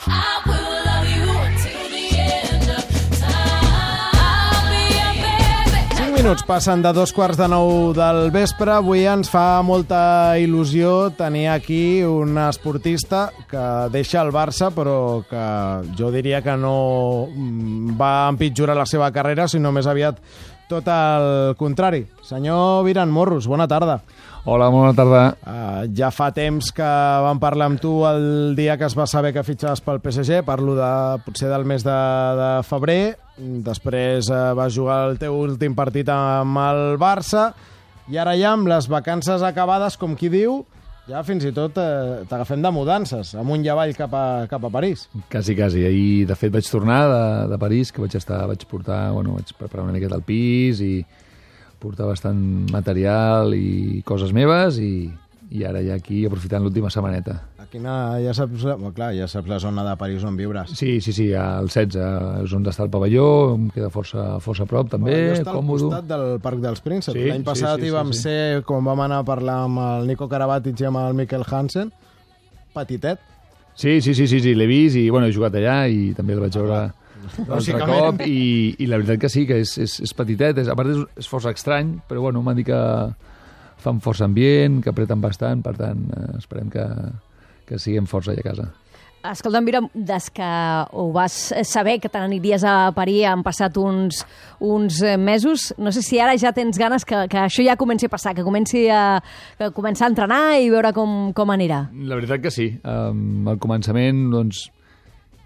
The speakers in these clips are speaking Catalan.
I will love you until the end of time. I'll be your baby. 5 minuts passen de 8:45 del vespre. Avui ens fa molta il·lusió tenir aquí un esportista que deixa el Barça, però que jo diria que no va empitjorar la seva carrera, sinó més aviat tot el contrari. Senyor Viran Morros, bona tarda. Hola, bona tarda. Ja fa temps que vam parlar amb tu el dia que es va saber que fitxaves pel PSG, parlo potser del mes de febrer, després vas jugar el teu últim partit amb el Barça, i ara ja amb les vacances acabades, com qui diu, ja fins i tot t'agafem de mudances, amunt i avall cap a París. Quasi. Ahir, de fet, vaig tornar de París, que vaig preparar una miqueta el pis i portar bastant material i coses meves i ara ja aquí aprofitant l'última setmaneta. Aquí ja saps la zona de París on viures. Sí, al 16 és on està el pavelló, em queda força a prop també, està còmode. Al costat del Parc dels Prínceps. Sí, L'any passat hi vam ser, quan vam anar a parlar amb el Nico Karabatic i amb el Mikkel Hansen, petitet. Sí, l'he vist i he jugat allà i també el vaig veure l'altre cop i la veritat que sí, que és petitet, a part és força estrany, però m'han dit que fan força ambient, que apreten bastant, per tant esperem que siguem força allà a casa. Escolta'm, Mira, des que ho vas saber que te n'aniries a París han passat uns mesos, no sé si ara ja tens ganes que això ja comenci a passar, que comenci a entrenar i veure com anirà. La veritat que sí. Al començament,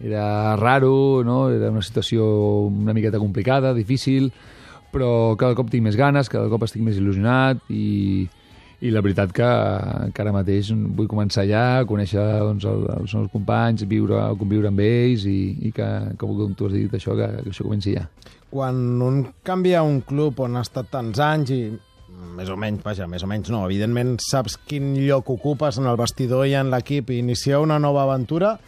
era raro, no? Era una situació una miqueta complicada, difícil, però cada cop tinc més ganes, cada cop estic més il·lusionat i la veritat que ara mateix vull començar allà, conèixer els meus companys, conviure amb ells i que com tu has dit això, que això comenci ja. Quan un canvia un club on ha estat tants anys i més o menys no, evidentment saps quin lloc ocupes en el vestidor i en l'equip i iniciar una nova aventura,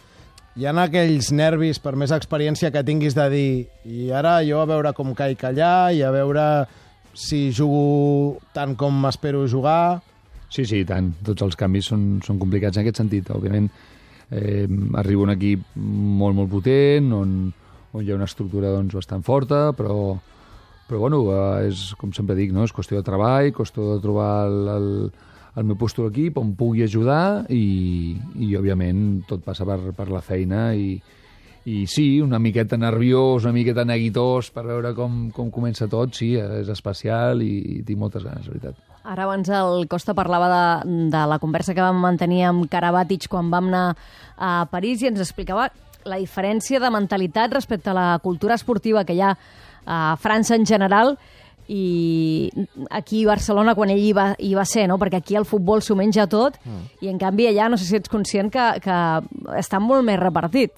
hi ha aquells nervis, per més experiència que tinguis, de dir i ara jo a veure com caic allà i a veure si jugo tant com m'espero jugar. Sí, tant. Tots els canvis són complicats en aquest sentit. Òbviament, arriba un equip molt potent, on hi ha una estructura bastant forta, però és, com sempre dic, no? És qüestió de treball, qüestió de trobar el meu lloc a l'equip on pugui ajudar i òbviament, tot passa per la feina i sí, una miqueta nerviós, una miqueta neguitós per veure com comença tot, sí, és especial i tinc moltes ganes, la veritat. Ara abans el Costa parlava de la conversa que vam mantenir amb Karabatic quan vam anar a París i ens explicava la diferència de mentalitat respecte a la cultura esportiva que hi ha a França en general i aquí a Barcelona quan ell hi va ser, no? Perquè aquí el futbol s'ho menja tot i en canvi allà no sé si ets conscient que està molt més repartit.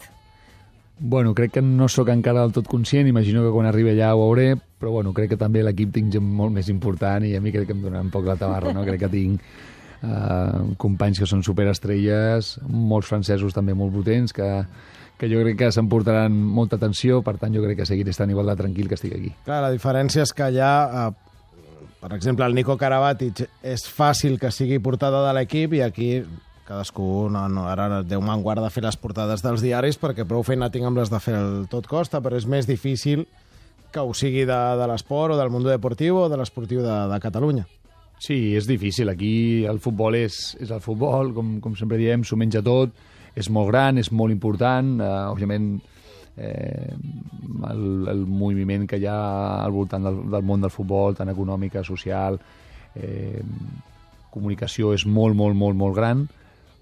Crec que no sóc encara del tot conscient, imagino que quan arribi allà ho veuré, però crec que també l'equip tinc gent molt més important i a mi crec que em dona un poc la tabarra, no? Crec que tinc companys que són superestrelles, molts francesos també molt potents, que jo crec que s'emportaran molta atenció, per tant jo crec que seguiré estant igual de tranquil que estic aquí. Clar, la diferència és que allà, per exemple, el Nico Karabatic és fàcil que sigui portada de l'equip i aquí cadascú, ara Déu me'n guarda de fer les portades dels diaris perquè prou feina tinc amb les de fer el tot costa, però és més difícil que ho sigui de l'esport o del món deportiu o de l'esportiu de Catalunya. Sí, és difícil. Aquí el futbol és el futbol, com sempre diem, s'ho menja tot, és molt gran, és molt important, òbviament el moviment que hi ha al voltant del món del futbol, tant econòmica, social, comunicació és molt gran,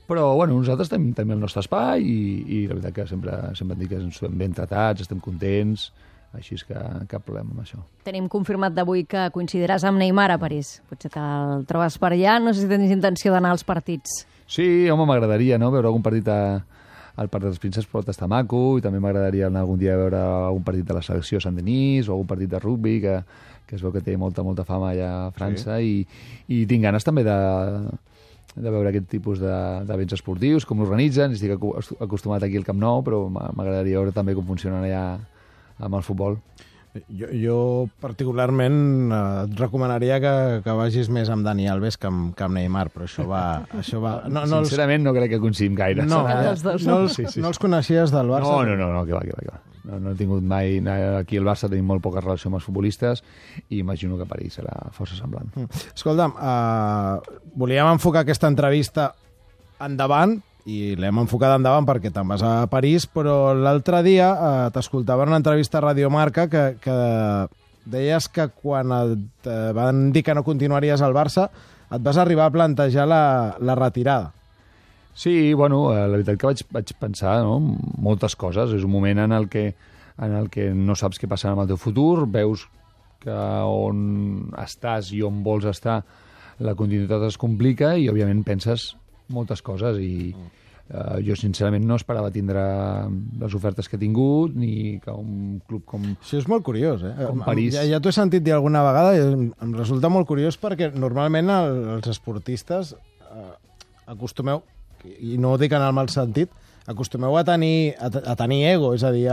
però nosaltres tenim el nostre espai i la veritat que sempre dic que estem ben tratats, estem contents, així és que cap problema amb això. Tenim confirmat d'avui que coincidiràs amb Neymar a París. Potser que el trobes per allà, no sé si tens intenció d'anar als partits. Sí, home, m'agradaria, no?, veure algun partit al Parc dels Prínceps, pot estar maco, i també m'agradaria anar algun dia a veure algun partit de la selecció Sant-Denis o algun partit de rugbi, que es veu que té molta fama allà a França, sí. I tinc ganes també de veure aquest tipus d'events esportius, com l'organitzen. Estic acostumat aquí al Camp Nou, però m'agradaria veure també com funcionen allà amb el futbol. Jo particularment et recomanaria que vagis més amb Dani Alves que amb Neymar, però això va... Sincerament no crec que coincidim gaire. No, Els dos. no els coneixies del Barça? No, que va. No he tingut mai... Aquí al Barça tenim molt poca relació amb els futbolistes i imagino que a París serà força semblant. Escolta'm, volíem enfocar aquesta entrevista endavant, i l'hem enfocat endavant perquè te'n vas a París, però l'altre dia t'escoltava en una entrevista a Radio Marca que deies que quan et van dir que no continuaries al Barça et vas arribar a plantejar la retirada. Sí, bueno, la veritat que vaig pensar, no? Moltes coses. És un moment en el que no saps què passarà amb el teu futur, veus que on estàs i on vols estar la continuïtat es complica i, òbviament, penses moltes coses i jo, sincerament, no esperava tindre les ofertes que he tingut ni que un club com... Això és molt curiós, com París. Ja t'ho he sentit dir alguna vegada i em resulta molt curiós perquè normalment els esportistes acostumeu, i no ho dic en el mal sentit, acostumeu a tenir ego, és a dir,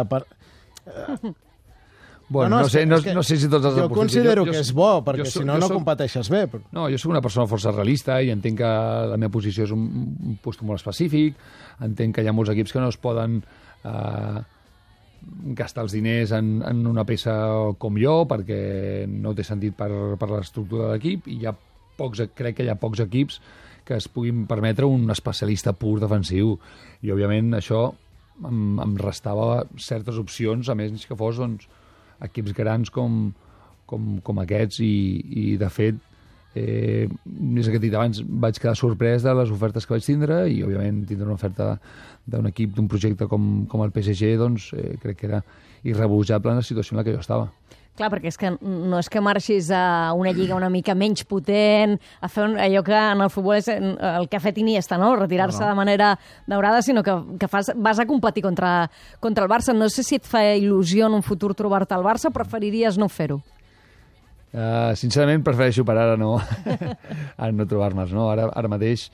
Bueno, no sé si tots els jo considero que és bo, perquè si no competeixes bé. No, jo soc una persona força realista i entenc que la meva posició és un lloc molt específic, entenc que hi ha molts equips que no es poden gastar els diners en una peça com jo, perquè no té sentit per l'estructura de l'equip, i crec que hi ha pocs equips que es puguin permetre un especialista pur defensiu, i òbviament això em restava certes opcions, a més que fos equips grans com aquests, i de fet és el que he dit abans, vaig quedar sorprès de les ofertes que vaig tindre, i òbviament tindre una oferta d'un equip, d'un projecte com el PSG, doncs crec que era irrebutjable en la situació en la que jo estava. Clar, perquè és que no és que marxis a una lliga una mica menys potent, a fer allò que en el futbol és el que ha fet Iniesta, no? Retirar-se de manera daurada, sinó que vas a competir contra el Barça. No sé si et fa il·lusió en un futur trobar-te al Barça, o preferiries no fer-ho? Sincerament, prefereixo per ara no trobar-me'ls, no? Ara mateix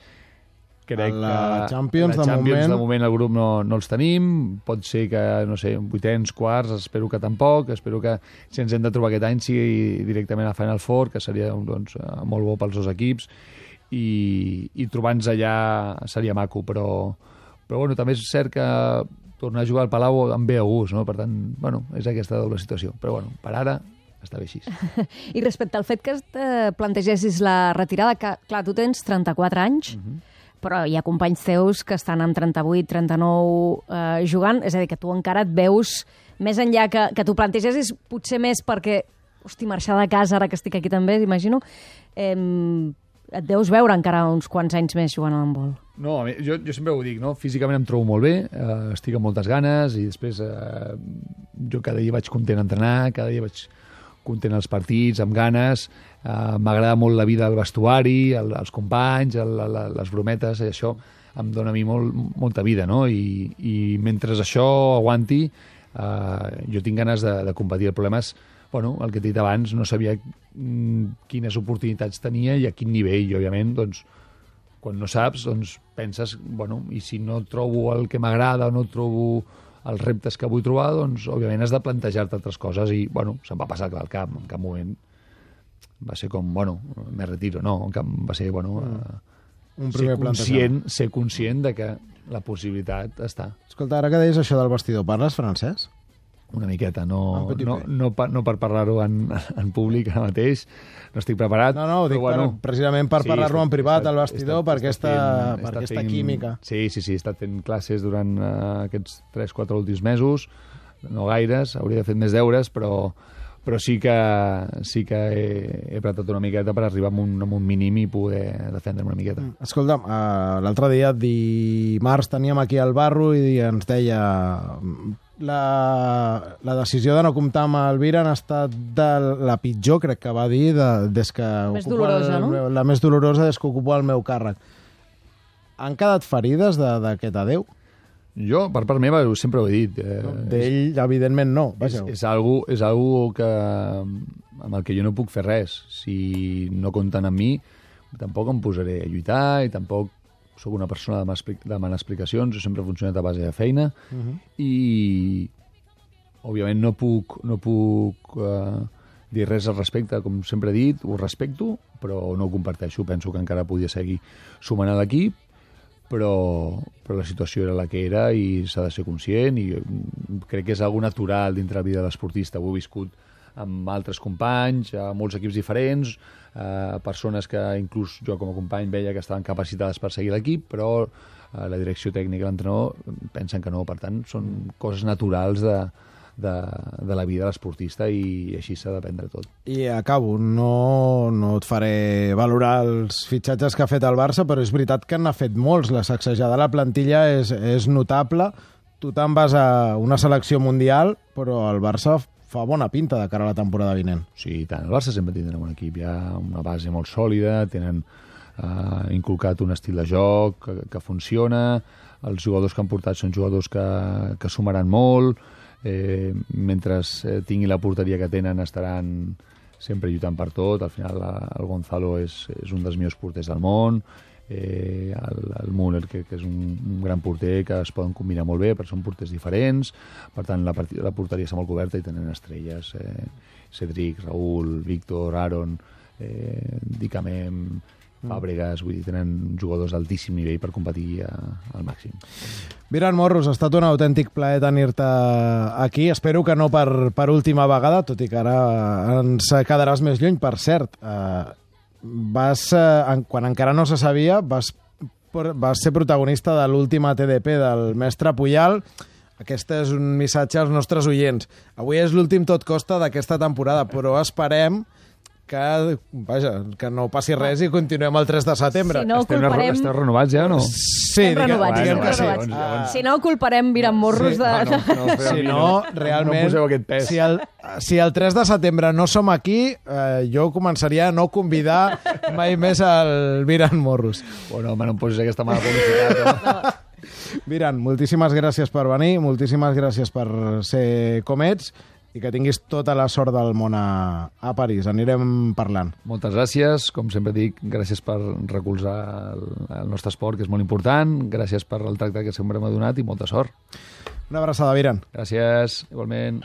crec que la Champions, de moment el grup no els tenim, pot ser que, no sé, vuitens, quarts, espero que tampoc, espero que si ens hem de trobar aquest any sigui directament a Final Four, que seria molt bo pels dos equips, i trobar-nos allà seria maco, però bueno, també és cert que tornar a jugar al Palau em ve a gust, no? Per tant, bueno, és aquesta doble situació, però bueno, per ara està bé així. I respecte al fet que plantegessis la retirada, que clar, tu tens 34 anys, però hi ha companys teus que estan amb 38, 39 jugant, és a dir, que tu encara et veus més enllà que tu plantegessis, potser més perquè, hosti, marxar de casa ara que estic aquí també, imagino, et deus veure encara uns quants anys més jugant a l'handbol. No, jo sempre ho dic, no? Físicament em trobo molt bé, estic amb moltes ganes, i després jo cada dia vaig content a entrenar, cada dia vaig content als partits, amb ganes, m'agrada molt la vida al vestuari, els companys, les brometes, i això em dona a mi molta vida, no? I mentre això aguanti, jo tinc ganes de competir. El problema és, bueno, el que he dit abans, no sabia quines oportunitats tenia i a quin nivell, i òbviament, doncs, quan no saps, doncs penses, bueno, i si no trobo el que m'agrada o no trobo els reptes que vull trobar, doncs, òbviament, has de plantejar-te altres coses, i, bueno, se'm va passar al cap, en cap moment va ser com, bueno, me retiro, no, en cap va ser, bueno, ser conscient de que la possibilitat està. Escolta, ara que deies això del vestidor, parles francès? Una miqueta, no per parlar-ho en públic ara mateix, no estic preparat. No, ho dic precisament per parlar-ho en privat al vestidor, per aquesta química. Sí, he estat fent classes durant aquests 3-4 últims mesos, no gaires, hauria de fer més deures, però sí que he pratat una miqueta per arribar a un mínim i poder defendre'm una miqueta. Escolta'm, l'altre dia, dimarts, teníem aquí el Barro i ens deia la decisió de no comptar amb Elvira ha estat la pitjor, crec que va dir, des que més dolorosa, no? La més dolorosa des que ocupo el meu càrrec. Han quedat ferides d'aquest adeu? Jo, per part meva, sempre ho he dit. D'ell, evidentment, no. És algo que, amb el que jo no puc fer res. Si no compten amb mi, tampoc em posaré a lluitar i tampoc sóc una persona de demanar explicacions. Jo sempre he funcionat a base de feina i òbviament no puc dir res al respecte, com sempre he dit, ho respecto, però no ho comparteixo. Penso que encara podia seguir sumant a l'equip, però la situació era la que era i s'ha de ser conscient i crec que és algo natural dintre la vida de l'esportista. Ho he viscut amb altres companys, a molts equips diferents, persones que inclús jo com a company veia que estaven capacitades per seguir l'equip, però la direcció tècnica i l'entrenador pensen que no. Per tant, són coses naturals de la vida de l'esportista i així s'ha de prendre tot. I acabo, no et faré valorar els fitxatges que ha fet el Barça, però és veritat que n'ha fet molts. La sacsejada de la plantilla és notable. Tu te'n vas a una selecció mundial, però el Barça fa bona pinta de cara a la temporada vinent. Sí, tant. El Barça sempre tindrà un bon equip. Hi ha una base molt sòlida, tenen inculcat un estil de joc que funciona, els jugadors que han portat són jugadors que sumaran molt, mentre tingui la porteria que tenen estaran sempre lluitant per tot. Al final el Gonzalo és un dels millors porters del món, el Müller, que és un gran porter, que es poden combinar molt bé, perquè són porters diferents. Per tant, la porteria està molt coberta i tenen estrelles, Cedric, Raúl, Víctor, Aaron, Dicamem, Fàbregas, vull dir, tenen jugadors d'altíssim nivell per competir al màxim. Viran Morros, ha estat un autèntic plaer tenir-te aquí. Espero que no per última vegada, tot i que ara ens quedaràs més lluny. Per cert, quan encara no se sabia, vas ser protagonista de l'última TDP del mestre Puyal. Aquest és un missatge als nostres oients. Avui és l'últim tot costa d'aquesta temporada, però esperem que no passi res i continuem el 3 de setembre. Si no, culparem... Esteu renovats ja o no? Sí, diguem que sí. Si no, culparem Viran Morros de... Si no, realment, no poseu aquest pes. Si el 3 de setembre no som aquí, jo començaria a no convidar mai més el Viran Morros. Bueno, home, no em posis aquesta mala publicitat. Viran, moltíssimes gràcies per venir, moltíssimes gràcies per ser com ets, i que tinguis tota la sort del món a París. Anirem parlant. Moltes gràcies. Com sempre dic, gràcies per recolzar el nostre esport, que és molt important. Gràcies per el tracte que sempre m'ha donat i molta sort. Una abraçada, Viran. Gràcies, igualment.